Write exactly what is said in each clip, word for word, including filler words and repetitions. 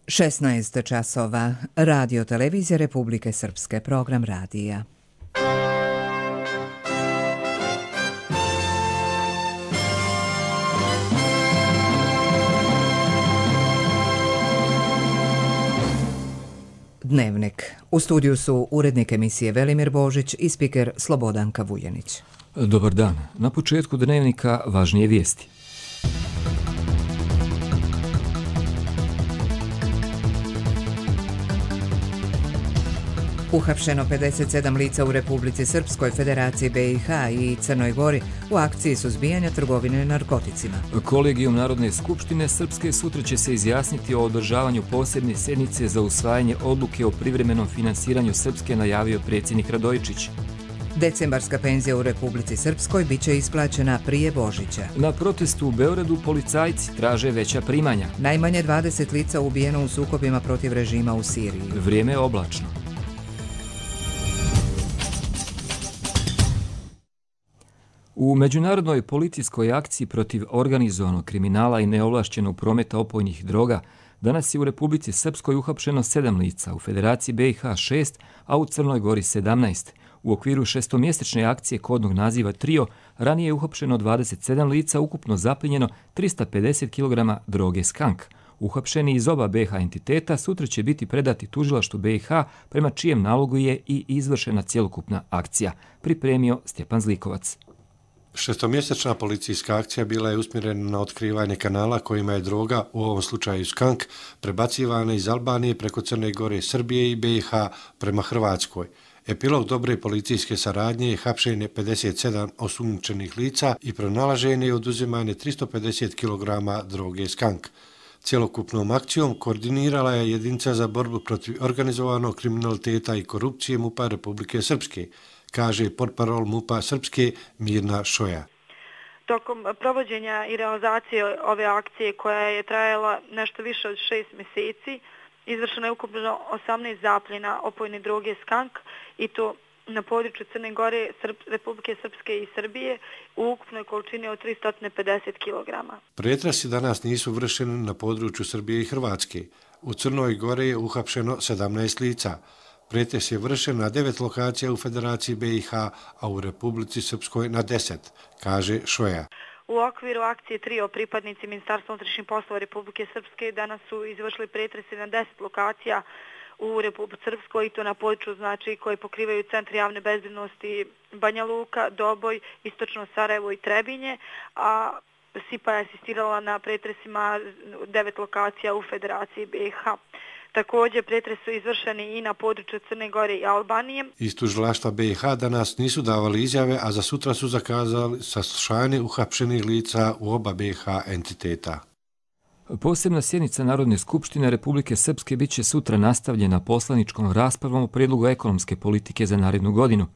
šesnaest časova. Radio televizija Republike Srpske, program radija. Dnevnik. U studiju su urednik emisije Velimir Božić i spiker Slobodanka Vujanić. Dobar dan. Na početku dnevnika važnije vijesti. Uhapšeno pedeset sedam lica u Republici Srpskoj, Federaciji B i H i Crnoj Gori u akciji suzbijanja trgovine narkoticima. Kolegijum Narodne skupštine Srpske sutra će se izjasniti o održavanju posebne sjednice za usvajanje odluke o privremenom finansiranju Srpske, najavio predsjednik Radojičić. Decembarska penzija u Republici Srpskoj bit će isplaćena prije Božića. Na protestu u Beogradu policajci traže veća primanja. Najmanje dvadeset lica ubijeno u sukobima protiv režima u Siriji. Vrijeme je oblačno. U međunarodnoj policijskoj akciji protiv organizovanog kriminala i neovlašćenog prometa opojnih droga danas je u Republici Srpskoj uhapšeno sedam lica, u Federaciji B i H šest, a u Crnoj Gori sedamnaest. U okviru šestomjesečne akcije kodnog naziva Trio ranije je uhapšeno dvadeset sedam lica, ukupno zaplijenjeno trista pedeset kilograma droge Skank. Uhapšeni iz oba B i H entiteta sutra će biti predati tužilaštvu B i H, prema čijem nalogu je i izvršena cjelokupna akcija, pripremio Stjepan Zlikovac. Šestomjesečna policijska akcija bila je usmjerena na otkrivanje kanala kojima je droga, u ovom slučaju Skank, prebacivana iz Albanije preko Crne Gore, Srbije i B i H prema Hrvatskoj. Epilog dobre policijske saradnje je hapšenje pedeset sedam osumnjičenih lica i pronalaženje i oduzimanje tristo pedeset kilograma droge Skank. Cjelokupnom akcijom koordinirala je jedinica za borbu protiv organizovanog kriminaliteta i korupcije MUP-a Republike Srpske, kaže portparol MUP-a Srpske Mirna Šoja. Tokom provođenja i realizacije ove akcije, koja je trajala nešto više od šest mjeseci, izvršeno je ukupno osamnaest zapljena opojne droge Skank, i to na području Crne Gore, Srp, Republike Srpske i Srbije u ukupnoj količini od tristo pedeset kilograma. Pretresi danas nisu vršeni na području Srbije i Hrvatske. U Crnoj Gori je uhapšeno sedamnaest lica. Pretres je vršen na devet lokacija u Federaciji B i H, a u Republici Srpskoj na deset, kaže Šoja. U okviru akcije Trio pripadnici Ministarstva unutrašnjih poslova Republike Srpske danas su izvršili pretrese na deset lokacija u Republici Srpskoj, i to na području znači koje pokrivaju centri javne bezbednosti Banja Luka, Doboj, Istočno Sarajevo i Trebinje, a S I P A je asistirala na pretresima devet lokacija u Federaciji B i H. Također, pretres su izvršeni i na području Crne Gore i Albanije. Iz tužilaštva B i H danas nisu davali izjave, a za sutra su zakazali saslušanje uhapšenih lica u oba B i H entiteta. Posebna sjednica Narodne skupštine Republike Srpske bit će sutra nastavljena poslaničkom raspravom o prijedlogu ekonomske politike za narednu godinu.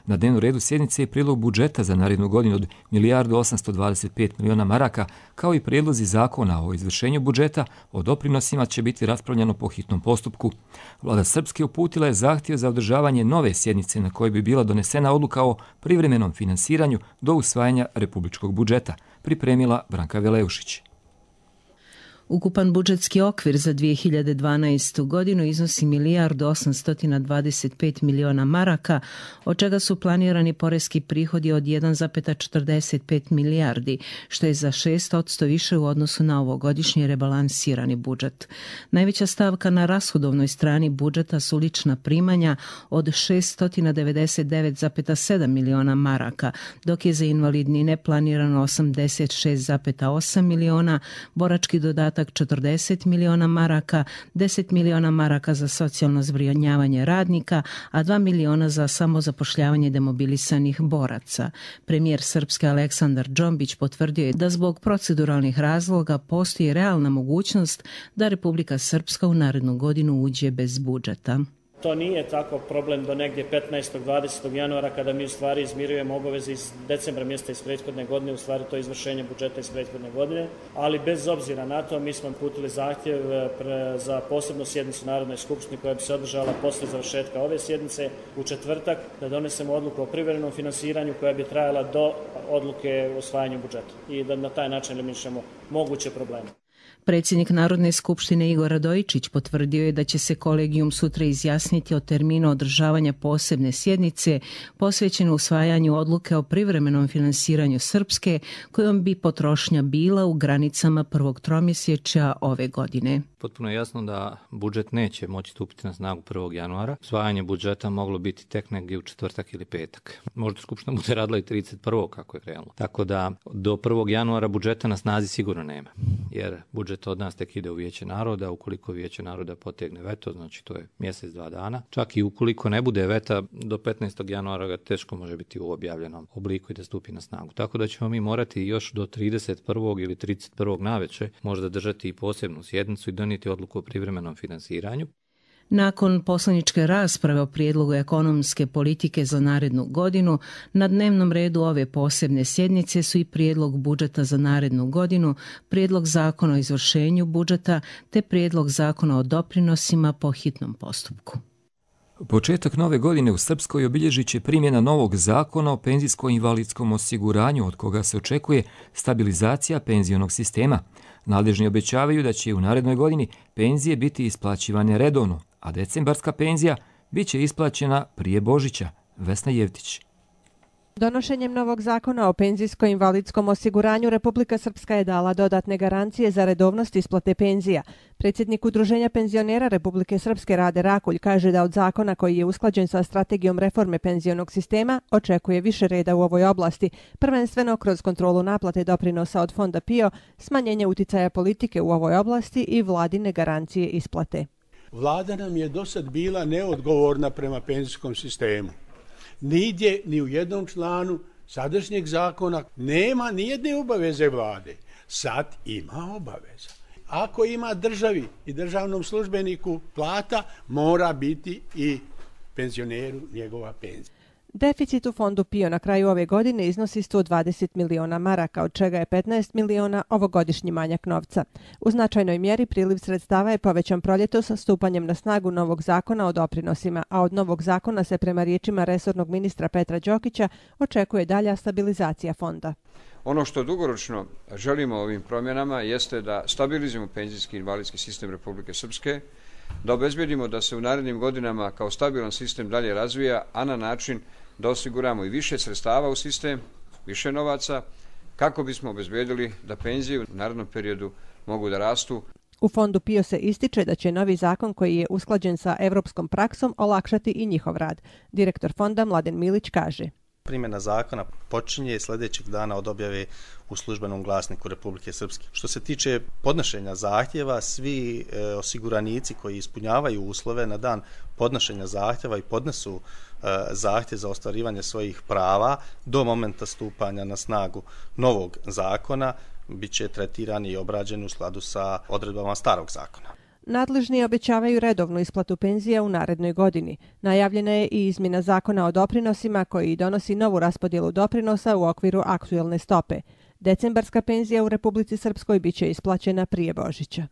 Na dnevnom redu sjednice je prijedlog budžeta za narednu godinu od milijardu osamsto dvadeset pet miliona maraka, kao i prijedlozi zakona o izvršenju budžeta. O doprinosima će biti raspravljeno po hitnom postupku. Vlada Srpske uputila je zahtjev za održavanje nove sjednice na kojoj bi bila donesena odluka o privremenom finansiranju do usvajanja republičkog budžeta, pripremila Branka Veleušić. Ukupan budžetski okvir za dvije hiljade dvanaestu godinu iznosi milijardu osamsto dvadeset pet miliona maraka, od čega su planirani poreski prihodi od jedan zarez četrdeset pet milijardi, što je za šest posto više u odnosu na ovogodišnji rebalansirani budžet. Najveća stavka na rashodovnoj strani budžeta su lična primanja od šessto devedeset devet zarez sedam miliona maraka, dok je za invalidnine planirano osamdeset šest zarez osam miliona, borački dodatak četrdeset miliona maraka, deset miliona maraka za socijalno zbrinjavanje radnika, a dva miliona za samozapošljavanje demobilisanih boraca. Premijer Srpske Aleksandar Džombić potvrdio je da zbog proceduralnih razloga postoji realna mogućnost da Republika Srpska u narednu godinu uđe bez budžeta. To nije tako problem do negdje petnaestog dvadesetog januara, kada mi u stvari izmirujemo obaveze iz decembra mjeseca iz prethodne godine, u stvari to je izvršenje budžeta iz prethodne godine, ali bez obzira na to mi smo uputili zahtjev za posebnu sjednicu Narodne skupštine koja bi se održala posle završetka ove sjednice u četvrtak, da donesemo odluku o privremenom finansiranju koja bi trajala do odluke o usvajanju budžeta i da na taj način eliminišemo moguće probleme. Predsjednik Narodne skupštine Igor Radojičić potvrdio je da će se kolegijum sutra izjasniti o terminu održavanja posebne sjednice posvećene usvajanju odluke o privremenom finansiranju Srpske, kojom bi potrošnja bila u granicama prvog tromjesečja ove godine. Potpuno je jasno da budžet neće moći stupiti na snagu prvog januara. Usvajanje budžeta moglo biti tek negdje u četvrtak ili petak. Možda skupština bude radila i trideset prvog kako je krenulo. Tako da do prvog januara budžeta na snazi sigurno nema. Jer budžet od nas tek ide u Vijeće naroda. Ukoliko Vijeće naroda potegne veto, znači to je mjesec, dva dana. Čak i ukoliko ne bude veta, do petnaestog januara ga teško može biti u objavljenom obliku i da stupi na snagu. Tako da ćemo mi morati još do trideset prvog ili trideset prvog navečer možda držati i posebnu sjednicu i donijeti odluku o privremenom finansiranju. Nakon poslaničke rasprave o prijedlogu ekonomske politike za narednu godinu, na dnevnom redu ove posebne sjednice su i prijedlog budžeta za narednu godinu, prijedlog zakona o izvršenju budžeta te prijedlog zakona o doprinosima po hitnom postupku. Početak nove godine u Srpskoj obilježit će primjena novog zakona o penzijsko-invalidskom osiguranju, od koga se očekuje stabilizacija penzionog sistema. Nadležni obećavaju da će u narednoj godini penzije biti isplaćivane redovno, a decembarska penzija bit će isplaćena prije Božića. Vesna Jevtić. Donošenjem novog zakona o penzijsko-invalidskom osiguranju Republika Srpska je dala dodatne garancije za redovnost isplate penzija. Predsjednik Udruženja penzionera Republike Srpske Rade Rakulj kaže da od zakona koji je usklađen sa strategijom reforme penzionog sistema očekuje više reda u ovoj oblasti, prvenstveno kroz kontrolu naplate doprinosa od fonda P I O, smanjenje uticaja politike u ovoj oblasti i vladine garancije isplate. Vlada nam je do sad bila neodgovorna prema penzijskom sistemu. Nigdje, ni u jednom članu sadašnjeg zakona nema nijedne obaveze vlade. Sad ima obaveza. Ako ima državi i državnom službeniku plata, mora biti i penzioneru njegova penzija. Deficit u fondu P I O na kraju ove godine iznosi sto dvadeset miliona maraka, od čega je petnaest miliona ovogodišnji manjak novca. U značajnoj mjeri priliv sredstava je povećan proljetos sa stupanjem na snagu novog zakona o doprinosima, a od novog zakona se prema riječima resornog ministra Petra Đokića očekuje dalja stabilizacija fonda. Ono što dugoročno želimo ovim promjenama jeste da stabilizujemo penzijski i invalidski sistem Republike Srpske, da obezbedimo da se u narednim godinama kao stabilan sistem dalje razvija, a na način da osiguramo i više sredstava u sistem, više novaca, kako bismo obezbedili da penzije u narednom periodu mogu da rastu. U fondu P I O se ističe da će novi zakon koji je usklađen sa evropskom praksom olakšati i njihov rad. Direktor fonda Mladen Milić kaže: Primjena zakona počinje sljedećeg dana od objave u službenom glasniku Republike Srpske. Što se tiče podnošenja zahtjeva, svi e, osiguranici koji ispunjavaju uslove na dan podnošenja zahtjeva i podnesu e, zahtjev za ostvarivanje svojih prava do momenta stupanja na snagu novog zakona bit će tretirani i obrađeni u skladu sa odredbama starog zakona. Nadležni obećavaju redovnu isplatu penzija u narednoj godini. Najavljena je i izmjena zakona o doprinosima koji donosi novu raspodjelu doprinosa u okviru aktuelne stope. Decembarska penzija u Republici Srpskoj biće isplaćena prije Božića.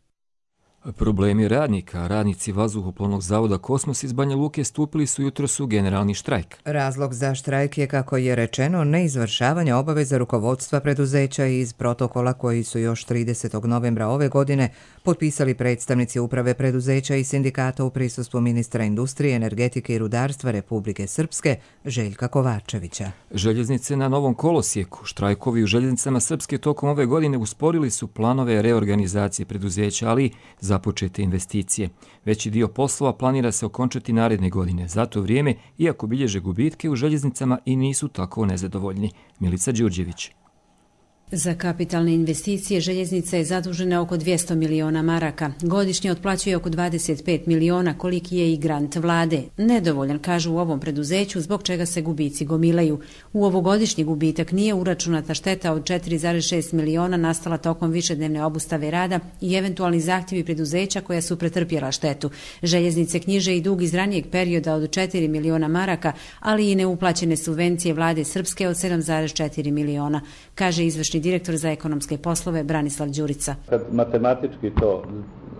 Problemi radnika, radnici Vazduhoplovnog zavoda Kosmos iz Banja Luke stupili su jutros u generalni štrajk. Razlog za štrajk je, kako je rečeno, neizvršavanje obaveza rukovodstva preduzeća iz protokola koji su još tridesetog novembra ove godine potpisali predstavnici uprave preduzeća i sindikata u prisustvu ministra industrije, energetike i rudarstva Republike Srpske Željka Kovačevića. Željeznice na Novom kolosijeku. Štrajkovi u željeznicama Srpske tokom ove godine usporili su planove reorganizacije preduzeća, ali započete investicije. Veći dio poslova planira se okončati naredne godine. Za to vrijeme, iako bilježe gubitke u željeznicama, i nisu tako nezadovoljni. Milica Đurđević. Za kapitalne investicije željeznica je zadužena oko dvjesto miliona maraka. Godišnje otplaćuje oko dvadeset pet miliona, koliki je i grant vlade. Nedovoljan, kažu u ovom preduzeću, zbog čega se gubici gomilaju. U ovogodišnji gubitak nije uračunata šteta od četiri zarez šest miliona nastala tokom višednevne obustave rada i eventualni zahtjevi preduzeća koja su pretrpjela štetu. Željeznice knjiže i dug iz ranijeg perioda od četiri miliona maraka, ali i neuplaćene subvencije vlade Srpske od sedam zarez četiri miliona, kaže izvršni direktor za ekonomske poslove Branislav Đurica. Kad matematički to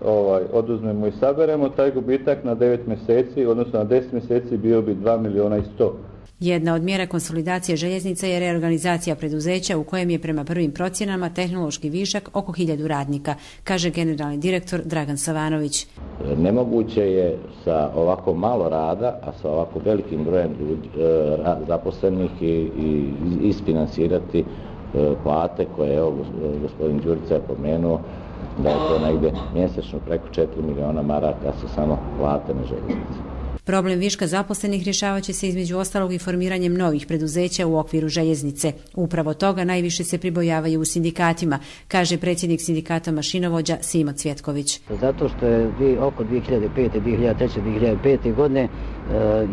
ovaj, oduzmemo i saberemo, taj gubitak na devet mjeseci, odnosno na deset mjeseci bio bi dva miliona i sto. Jedna od mjera konsolidacije željeznica je reorganizacija preduzeća u kojem je prema prvim procjenama tehnološki višak oko hiljadu radnika, kaže generalni direktor Dragan Savanović. Nemoguće je sa ovako malo rada, a sa ovako velikim brojem ljudi, zaposlenih i, i isfinansirati plate koje je gospodin Đurica je pomenuo da je to negdje mjesečno preko četiri miliona maraka su samo plate na željeznici. Problem viška zaposlenih rješavat će se između ostalog i formiranjem novih preduzeća u okviru željeznice. Upravo toga najviše se pribojavaju u sindikatima, kaže predsjednik sindikata mašinovođa Simo Cvjetković. Zato što je oko dvije hiljade pete, dvije hiljade treće, dvije hiljade pete. godine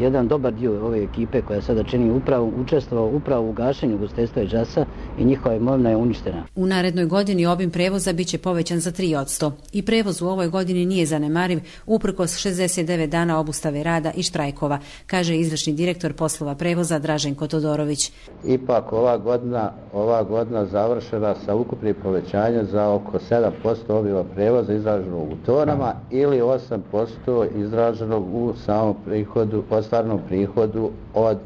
jedan dobar dio ove ekipe koja sada čini upravu učestvovao upravo u gašenju ugostiteljstva i džasa i njihova imovina je uništena. U narednoj godini obim prevoza biće povećan za tri posto i prevoz u ovoj godini nije zanemariv uprkos šezdeset devet dana obustave rada i štrajkova, kaže izvršni direktor poslova prevoza Draženko Todorović. Ipak ova godina, ova godina završena sa ukupnim povećanjem za oko sedam posto obima prevoza izraženog u tonama ili osam posto izraženog u samom prihodu, ostvarenom prihodu od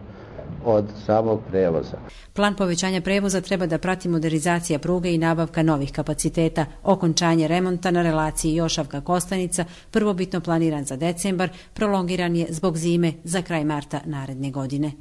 od samog prevoza. Plan povećanja prevoza treba da prati modernizacija pruge i nabavka novih kapaciteta. Okončanje remonta na relaciji Jošavka-Kostanica, prvobitno planiran za decembar, prolongiran je zbog zime za kraj marta naredne godine.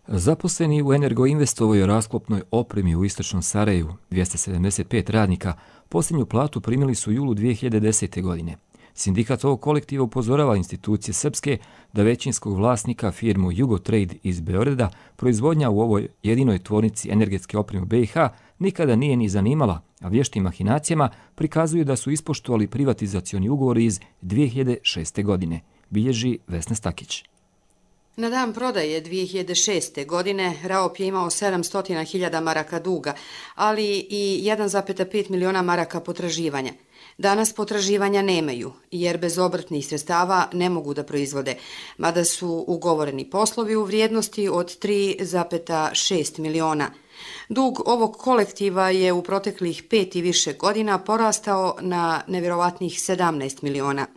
Zaposleni u Energoinvestovoj rasklopnoj opremi u istočnom Sarajevu, dvjesto sedamdeset pet radnika, posljednju platu primili su u julu dvije hiljade desete. godine. Sindikat ovog kolektiva upozorava institucije srpske da većinskog vlasnika firmu Jugotrade iz Beograda proizvodnja u ovoj jedinoj tvornici energetske opreme u B i H nikada nije ni zanimala, a vještim mahinacijama prikazuju da su ispoštovali privatizacioni ugovor iz dvije hiljade šeste. godine, bilježi Vesna Stakić. Na dan prodaje dvije hiljade šeste. godine Raop je imao sedamsto hiljada maraka duga, ali i jedan zarez pet miliona maraka potraživanja. Danas potraživanja nemaju, jer bez obrtnih sredstava ne mogu da proizvode, mada su ugovoreni poslovi u vrijednosti od tri zarez šest miliona. Dug ovog kolektiva je u proteklih pet i više godina porastao na nevjerovatnih sedamnaest miliona.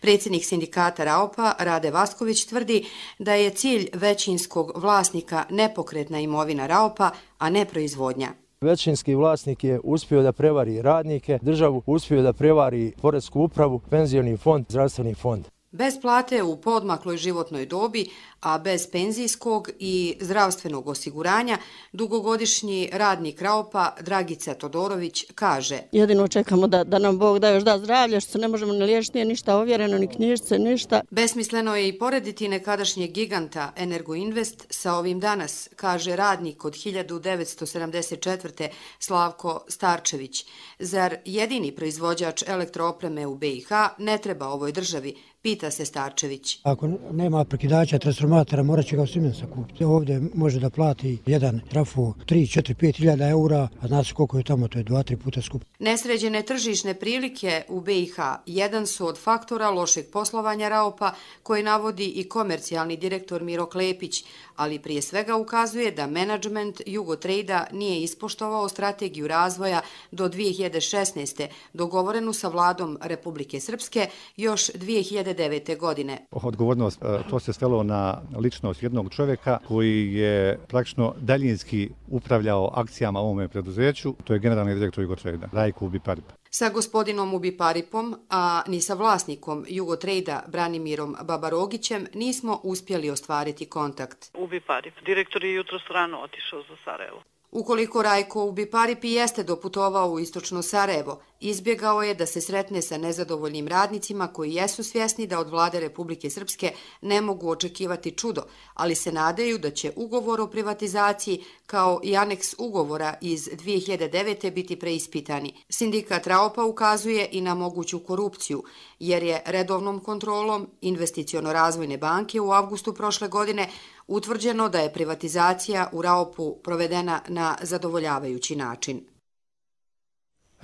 Predsjednik sindikata Raopa, Rade Vasković, tvrdi da je cilj većinskog vlasnika nepokretna imovina Raopa, a ne proizvodnja. Većinski vlasnik je uspio da prevari radnike, državu uspio da prevari poresku upravu, penzioni fond, zdravstveni fond. Bez plate u poodmakloj životnoj dobi, a bez penzijskog i zdravstvenog osiguranja, dugogodišnji radnik Raopa Dragica Todorović kaže: Jedino čekamo da, da nam Bog da još da zdravlje, što se ne možemo ni liječiti, nije ništa ovjereno, ni knjižice, ništa. Besmisleno je i porediti nekadašnjeg giganta Energoinvest sa ovim danas, kaže radnik od hiljadu devetsto sedamdeset četvrte. Slavko Starčević. Zar jedini proizvođač elektroopreme u B i H ne treba ovoj državi? Pita se Starčević. Ako nema prekidača transformatora, morat će ga u Simensa kupiti. Ovdje može da plati jedan trafo tri, četiri, pet hiljada eura, a znaš koliko je tamo, to je dva, tri puta skup. Nesređene tržišne prilike u B i H jedan su od faktora lošeg poslovanja Raopa, koje navodi i komercijalni direktor Miro Klepić, ali prije svega ukazuje da menadžment Jugotrade-a nije ispoštovao strategiju razvoja do dvije hiljade šesnaeste. dogovorenu sa vladom Republike Srpske još dvije hiljade devete. godine. Odgovornost, to se svelo na ličnost jednog čovjeka koji je praktično daljinski upravljao akcijama u ovome preduzeću, to je generalni direktor Jugotrade-a, Rajko Ubiparip. Sa gospodinom Ubiparipom, a ni sa vlasnikom Jugotrade-a Branimirom Babarogićem nismo uspjeli ostvariti kontakt. Ubiparip, direktor je jutro strano otišao za Sarajevo. Ukoliko Rajko Ubiparip i jeste doputovao u istočno Sarajevo, izbjegao je da se sretne sa nezadovoljnim radnicima koji jesu svjesni da od vlade Republike Srpske ne mogu očekivati čudo, ali se nadaju da će ugovor o privatizaciji kao i aneks ugovora iz dvije hiljade devete. biti preispitani. Sindikat Raopa ukazuje i na moguću korupciju, jer je redovnom kontrolom Investiciono-razvojne banke u avgustu prošle godine utvrđeno da je privatizacija u Raopu provedena na zadovoljavajući način.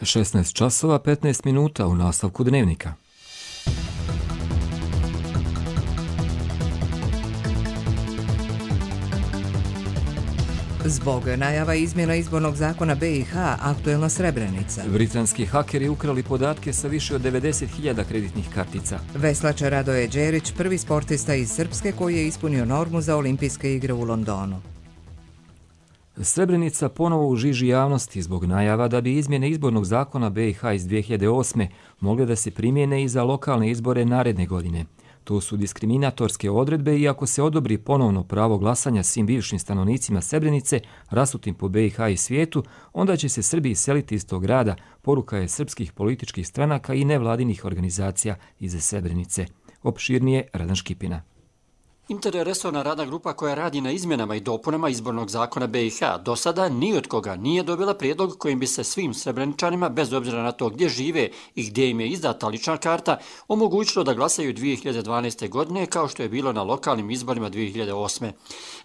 šesnaest časova petnaest minuta u nastavku dnevnika. Zbog najava izmjena izbornog zakona B i H aktuelna Srebrenica. Britanski hakeri ukrali podatke sa više od devedeset hiljada kreditnih kartica. Veslač Radoje Đerić, prvi sportista iz Srpske koji je ispunio normu za olimpijske igre u Londonu. Srebrenica ponovo u žiži javnosti zbog najava da bi izmjene izbornog zakona B i H iz dvije hiljade osme mogle da se primjene i za lokalne izbore naredne godine. To su diskriminatorske odredbe i ako se odobri ponovno pravo glasanja svim bivšim stanovnicima Srebrenice, rasutim po B i H i svijetu, onda će se Srbi iseliti iz tog grada, poruka je srpskih političkih stranaka i nevladinih organizacija iz Srebrenice. Opširnije Radan Škipina. Interresorna radna grupa koja radi na izmjenama i dopunama izbornog zakona B i H do sada ni od koga nije dobila prijedlog kojim bi se svim Srebreničanima, bez obzira na to gdje žive i gdje im je izdata lična karta, omogućilo da glasaju dvije hiljade dvanaeste. godine kao što je bilo na lokalnim izborima dvije hiljade osme.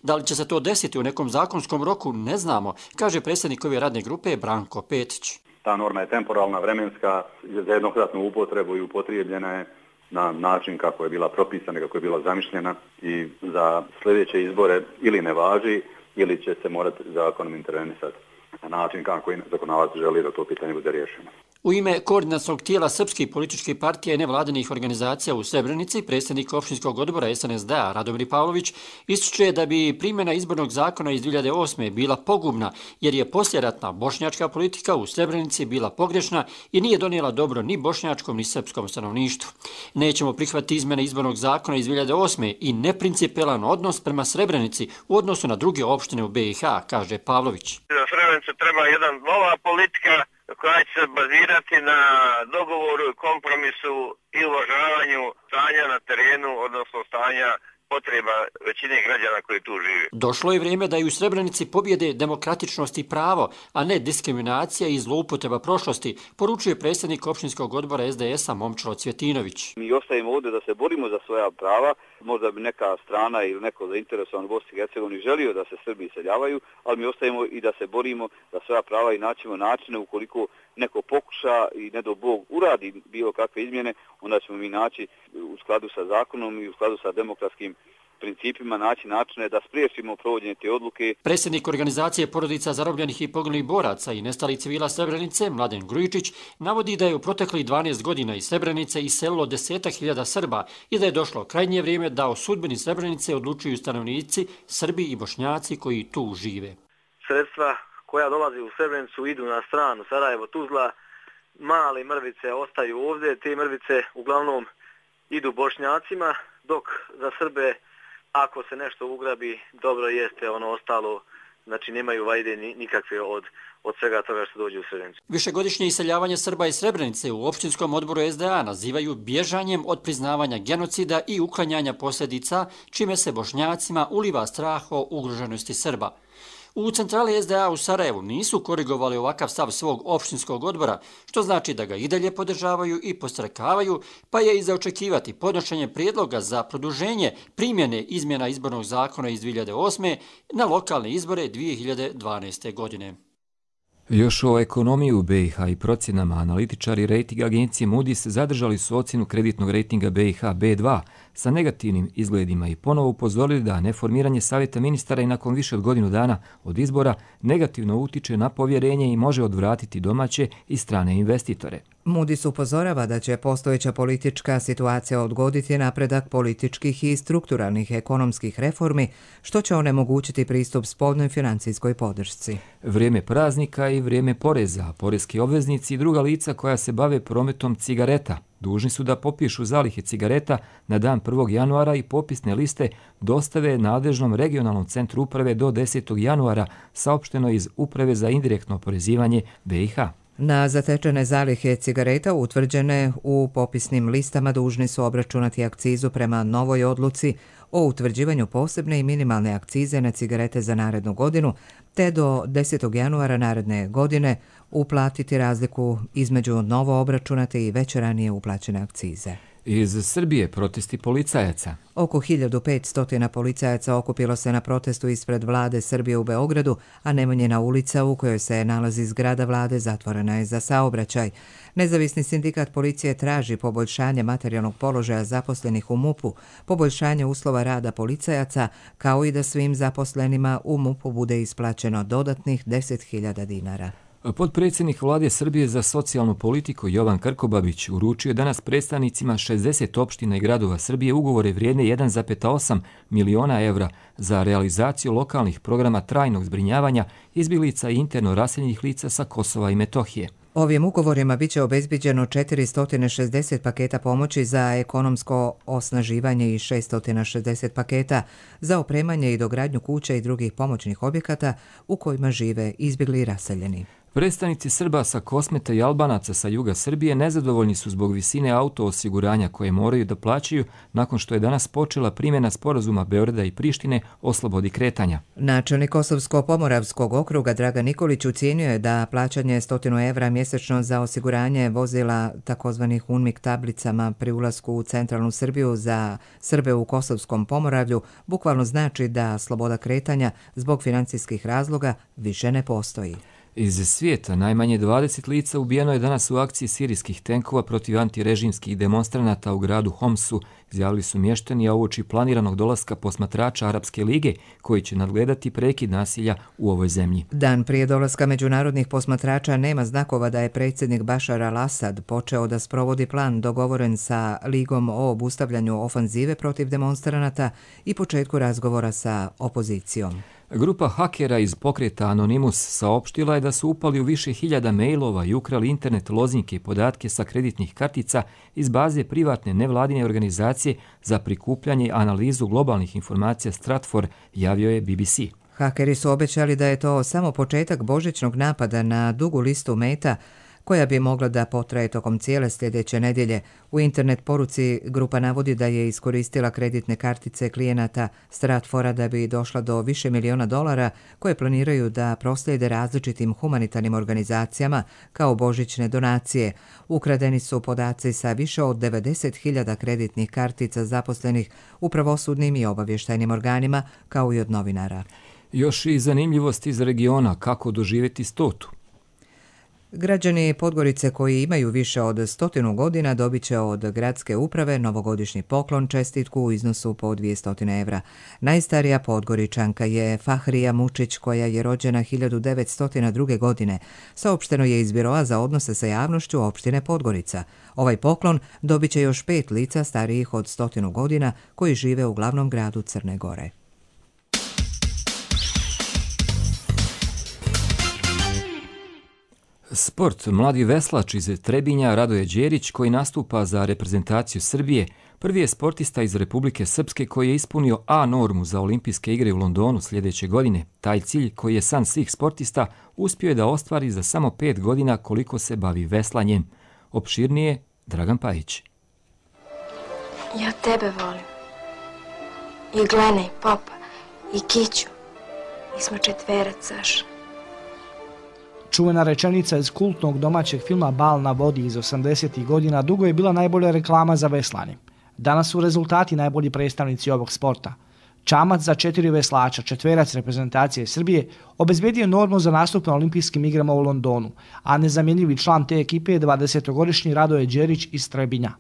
Da li će se to desiti u nekom zakonskom roku, ne znamo, kaže predsjednik ove radne grupe Branko Petić. Ta norma je temporalna, vremenska, za jednokratnu upotrebu i upotrijebljena je na način kako je bila propisana, kako je bila zamišljena i za sljedeće izbore ili ne važi ili će se morati zakonom intervenisati na način kako i zakonodavac želi da to pitanje bude riješeno. U ime koordinacionog tijela srpskih političkih partija i nevladinih organizacija u Srebrenici, predsjednik opštinskog odbora S N S D-a Radomir Pavlović ističe da bi primjena izbornog zakona iz dvije hiljade osme. bila pogubna jer je poslijeratna bošnjačka politika u Srebrenici bila pogrešna i nije donijela dobro ni bošnjačkom ni srpskom stanovništvu. Nećemo prihvatiti izmjene izbornog zakona iz dvije hiljade osme. i neprincipijelan odnos prema Srebrenici u odnosu na druge opštine u B i H, kaže Pavlović. Za Srebrenicu treba jedna nova politika koja će se bazirati na dogovoru, kompromisu i uvažavanju stanja na terenu, odnosno stanja potreba većine građana koji tu žive. Došlo je vrijeme da i u Srebrenici pobjede demokratičnost i pravo, a ne diskriminacija i zloupotreba prošlosti, poručuje predsjednik opštinskog odbora S D S-a Momčilo Cvjetinović. Mi ostajemo ovdje da se borimo za svoja prava, možda bi neka strana ili neko zainteresovan u Bosni i Hercegovini želio da se Srbi iseljavaju, ali mi ostajemo i da se borimo za svoja prava i naćemo načine ukoliko neko pokuša i ne do Bog uradi bilo kakve izmjene, onda ćemo mi naći u skladu sa zakonom i u skladu sa demokratskim principima naći načine da spriječimo provođenje te odluke. Predsjednik organizacije porodica zarobljenih i poginulih boraca i nestalih civila Srebrenice, Mladen Grujičić, navodi da je u proteklih dvanaest godina iz Srebrenice iselilo desetak hiljada Srba i da je došlo krajnje vrijeme da o sudbini Srebrenice odlučuju stanovnici, Srbi i Bošnjaci koji tu žive. Sredstva koja dolazi u Srebrenicu idu na stranu Sarajevo-Tuzla, male mrvice ostaju ovdje, te mrvice uglavnom idu Bošnjacima, dok za Srbe ako se nešto ugrabi, dobro jeste, ono ostalo, znači nemaju vajde nikakve od, od svega toga što dođe u Srebrenicu. Višegodišnje iseljavanje Srba iz Srebrenice u opštinskom odboru S D A nazivaju bježanjem od priznavanja genocida i uklanjanja posljedica, čime se Bošnjacima uliva strah o ugroženosti Srba. U centrali S D A u Sarajevu nisu korigovali ovakav stav svog opštinskog odbora, što znači da ga i dalje podržavaju i postrekavaju, pa je i za očekivati podnošenje prijedloga za produženje primjene izmjena izbornog zakona iz dvije hiljade osme. na lokalne izbore dvije hiljade dvanaeste. godine. Još o ekonomiji u B i H i procjenama analitičari rejting agencije Moody's zadržali su ocjenu kreditnog rejtinga B i H B dva sa negativnim izgledima i ponovo upozorili da neformiranje savjeta ministara i nakon više od godinu dana od izbora negativno utiče na povjerenje i može odvratiti domaće i strane investitore. Moody's upozorava da će postojeća politička situacija odgoditi napredak političkih i strukturalnih ekonomskih reformi, što će onemogućiti pristup spoljnoj financijskoj podršci. Vrijeme praznika i vrijeme poreza, poreski obveznici i druga lica koja se bave prometom cigareta dužni su da popišu zalihe cigareta na dan prvog januara i popisne liste dostave nadležnom regionalnom centru uprave do desetog januara, saopšteno iz Uprave za indirektno oporezivanje B i H. Na zatečene zalihe cigareta utvrđene u popisnim listama dužni su obračunati akcizu prema novoj odluci o utvrđivanju posebne i minimalne akcize na cigarete za narednu godinu, te do desetog januara naredne godine uplatiti razliku između novo obračunate i već ranije uplaćene akcize. Iz Srbije protesti policajaca. Oko hiljadu petsto policajaca okupilo se na protestu ispred vlade Srbije u Beogradu, a Nemanjina ulica u kojoj se nalazi zgrada vlade zatvorena je za saobraćaj. Nezavisni sindikat policije traži poboljšanje materijalnog položaja zaposlenih u MUP-u, poboljšanje uslova rada policajaca, kao i da svim zaposlenima u MUP-u bude isplaćeno dodatnih deset hiljada dinara. Potpredsjednik vlade Srbije za socijalnu politiku Jovan Krkobabić uručio danas predstavnicima šezdeset opština i gradova Srbije ugovore vrijedne jedan zarez osam miliona evra za realizaciju lokalnih programa trajnog zbrinjavanja izbjeglica i interno raseljenih lica sa Kosova i Metohije. Ovim ugovorima biće obezbiđeno četiristo šezdeset paketa pomoći za ekonomsko osnaživanje i šesto šezdeset paketa za opremanje i dogradnju kuća i drugih pomoćnih objekata u kojima žive izbjegli i raseljeni. Predstavnici Srba sa Kosmeta i Albanaca sa juga Srbije nezadovoljni su zbog visine auto osiguranja koje moraju da plaćaju nakon što je danas počela primjena sporazuma Beograda i Prištine o slobodi kretanja. Načelnik Kosovsko-Pomoravskog okruga Dragan Nikolić ucijenio je da plaćanje stotinu evra mjesečno za osiguranje vozila takozvanih UNMIK tablicama pri ulasku u centralnu Srbiju za Srbe u Kosovskom Pomoravlju bukvalno znači da sloboda kretanja zbog financijskih razloga više ne postoji. Iz svijeta najmanje dvadeset lica ubijeno je danas u akciji sirijskih tenkova protiv antirežimskih demonstranata u gradu Homsu, izjavili su mještani, a uoči planiranog dolaska posmatrača Arapske lige koji će nadgledati prekid nasilja u ovoj zemlji. Dan prije dolaska međunarodnih posmatrača nema znakova da je predsjednik Bašar al-Asad počeo da sprovodi plan dogovoren sa Ligom o obustavljanju ofanzive protiv demonstranata i početku razgovora sa opozicijom. Grupa hakera iz pokreta Anonymous saopštila je da su upali u više hiljada mailova i ukrali internet lozinke i podatke sa kreditnih kartica iz baze privatne nevladine organizacije za prikupljanje i analizu globalnih informacija Stratfor, javio je B B C. Hakeri su obećali da je to samo početak božićnog napada na dugu listu meta koja bi mogla da potraje tokom cijele sljedeće nedjelje. U internet poruci grupa navodi da je iskoristila kreditne kartice klijenata Stratfora da bi došla do više miliona dolara koje planiraju da proslijede različitim humanitarnim organizacijama kao božićne donacije. Ukradeni su podaci sa više od devedeset hiljada kreditnih kartica zaposlenih u pravosudnim i obavještajnim organima kao i od novinara. Još i zanimljivost iz regiona kako doživjeti stotu. Građani Podgorice koji imaju više od stotinu godina dobit će od gradske uprave novogodišnji poklon čestitku u iznosu po dvjesto evra. Najstarija Podgoričanka je Fahrija Mučić koja je rođena hiljadu devetsto druge. godine. Saopšteno je iz Biroa za odnose sa javnošću opštine Podgorica. Ovaj poklon dobit će još pet lica starijih od stotinu godina koji žive u glavnom gradu Crne Gore. Sport. Mladi veslač iz Trebinja Radoje Đerić koji nastupa za reprezentaciju Srbije prvi je sportista iz Republike Srpske koji je ispunio A normu za olimpijske igre u Londonu sljedeće godine. Taj cilj koji je san svih sportista uspio je da ostvari za samo pet godina koliko se bavi veslanjem. Opširnije Dragan Pajić. Ja tebe volim. I Glena i Popa i Kiću. Mi smo četverac, Saša. Čuvena rečenica iz kultnog domaćeg filma Bal na vodi iz osamdesetih godina dugo je bila najbolja reklama za veslanje. Danas su rezultati najbolji predstavnici ovog sporta. Čamac za četiri veslača, četverac reprezentacije Srbije, obezbedio normu za nastup na olimpijskim igrama u Londonu, a nezamjenjivi član te ekipe je dvadesetogodišnji Radoje Đerić iz Trebinja.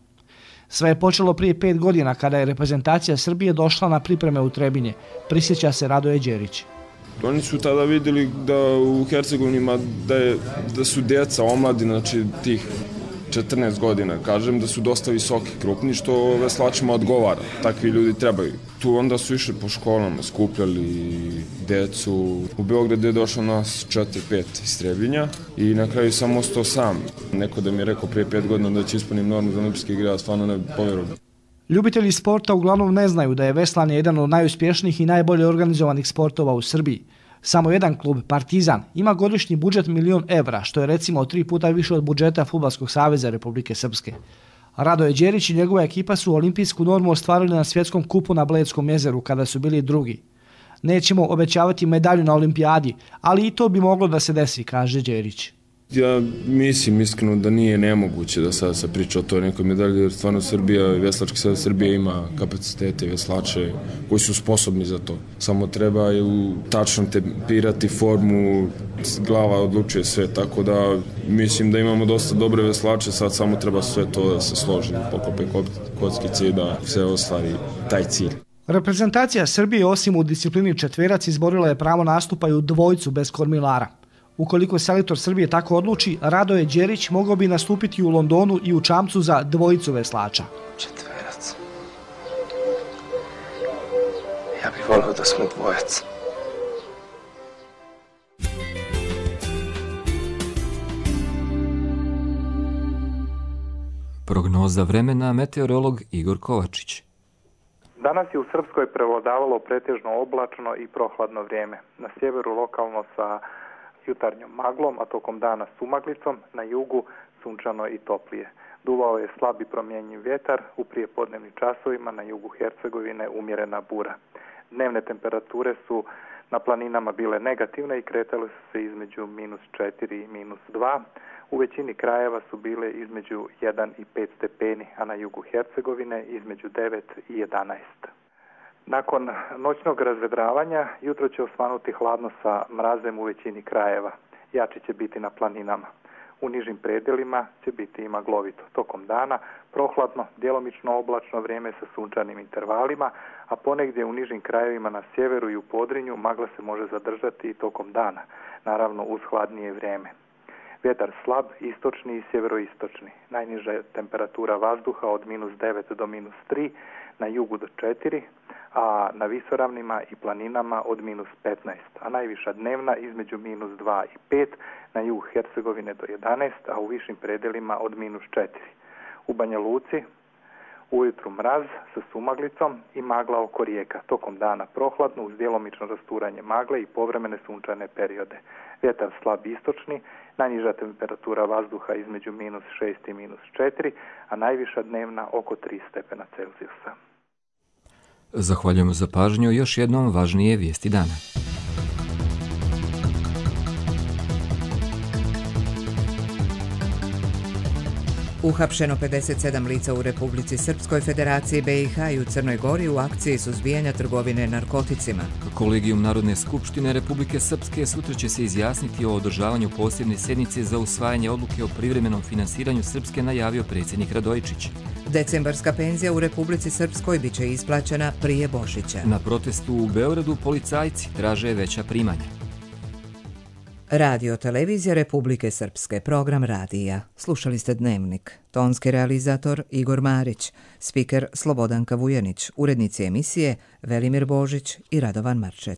Sve je počelo prije pet godina kada je reprezentacija Srbije došla na pripreme u Trebinje, prisjeća se Radoje Đerić. Oni su tada vidjeli da u Hercegovini da, je, da su djeca, omladina, znači tih četrnaest godina, kažem, da su dosta visoki, krupni, što veslačima odgovara. Takvi ljudi trebaju. Tu onda su išli po školama, skupljali djecu. U Beogradu je došlo nas četiri pet iz Trebinja i na kraju sam ostao sam. Neko da mi je rekao prije pet godina da će ispunim normu za olimpijske igre, a stvarno ne povjerovao. Ljubitelji sporta uglavnom ne znaju da je veslanje jedan od najuspješnijih i najbolje organizovanih sportova u Srbiji. Samo jedan klub, Partizan, ima godišnji budžet milion evra, što je recimo tri puta više od budžeta Fudbalskog saveza Republike Srpske. Radoje Đerić i njegova ekipa su olimpijsku normu ostvarili na svjetskom kupu na Bledskom jezeru kada su bili drugi. Nećemo obećavati medalju na olimpijadi, ali i to bi moglo da se desi, kaže Đerić. Ja mislim iskreno da nije nemoguće da sad se priča o toj nekoj medalji, jer stvarno Srbija, Veslački savez Srbije ima kapacitete, veslače koji su sposobni za to. Samo treba ju tačno tempirati formu, glava odlučuje sve, tako da mislim da imamo dosta dobre veslače, sad samo treba sve to da se složi, poklope kockice i da se ostvari taj cilj. Reprezentacija Srbije osim u disciplini četverac izborila je pravo nastupa i u dvojcu bez kormilara. Ukoliko selektor Srbije tako odluči, Radoje Đerić mogao bi nastupiti u Londonu i u čamcu za dvojicu veslača. Četverac. Ja bih volio da smo dvojac. Prognoza vremena, meteorolog Igor Kovačić. Danas je u Srpskoj prevladavalo pretežno oblačno i prohladno vrijeme. Na sjeveru lokalno sa jutarnjom maglom, a tokom dana sumaglicom, na jugu sunčano i toplije. Duvao je slab i promjenjiv vjetar, u prijepodnevnim časovima na jugu Hercegovine umjerena bura. Dnevne temperature su na planinama bile negativne i kretale su se između minus četiri i minus dva. U većini krajeva su bile između jedan i pet stepeni, a na jugu Hercegovine između devet i jedanaest. Nakon noćnog razvedravanja, jutro će osvanuti hladno sa mrazem u većini krajeva. Jači će biti na planinama. U nižim predjelima će biti i maglovito. Tokom dana prohladno, djelomično oblačno vrijeme sa sunčanim intervalima, a ponegdje u nižim krajevima na sjeveru i u Podrinju magla se može zadržati i tokom dana, naravno uz hladnije vrijeme. Vjetar slab, istočni i sjeveroistočni. Najniža temperatura vazduha od minus devet do minus tri, na jugu do četiri, a na visoravnima i planinama od minus petnaest, a najviša dnevna između minus dva i pet, na jug Hercegovine do jedanaest, a u višim predelima od minus četiri. U Banja Luci ujutru mraz sa sumaglicom i magla oko rijeka. Tokom dana prohladno uz djelomično rasturanje magle i povremene sunčane periode. Vjetar slab istočni, najniža temperatura vazduha između minus šest i minus četiri, a najviša dnevna oko tri stepena Celzijusa. Zahvaljujemo za pažnju. Još jednom važnije vijesti dana. Uhapšeno pedeset sedam lica u Republici Srpskoj, Federaciji B i H i u Crnoj Gori u akciji suzbijanja trgovine narkoticima. Kolegijum Narodne skupštine Republike Srpske sutra će se izjasniti o održavanju posebne sjednice za usvajanje odluke o privremenom finansiranju Srpske, najavio predsjednik Radojičić. Decembarska penzija u Republici Srpskoj biće isplaćena prije Božića. Na protestu u Beogradu policajci traže veća primanja. Radio Televizija Republike Srpske, program radija. Slušali ste Dnevnik. Tonski realizator Igor Marić, spiker Slobodanka Vujanić, urednici emisije Velimir Božić i Radovan Marčet.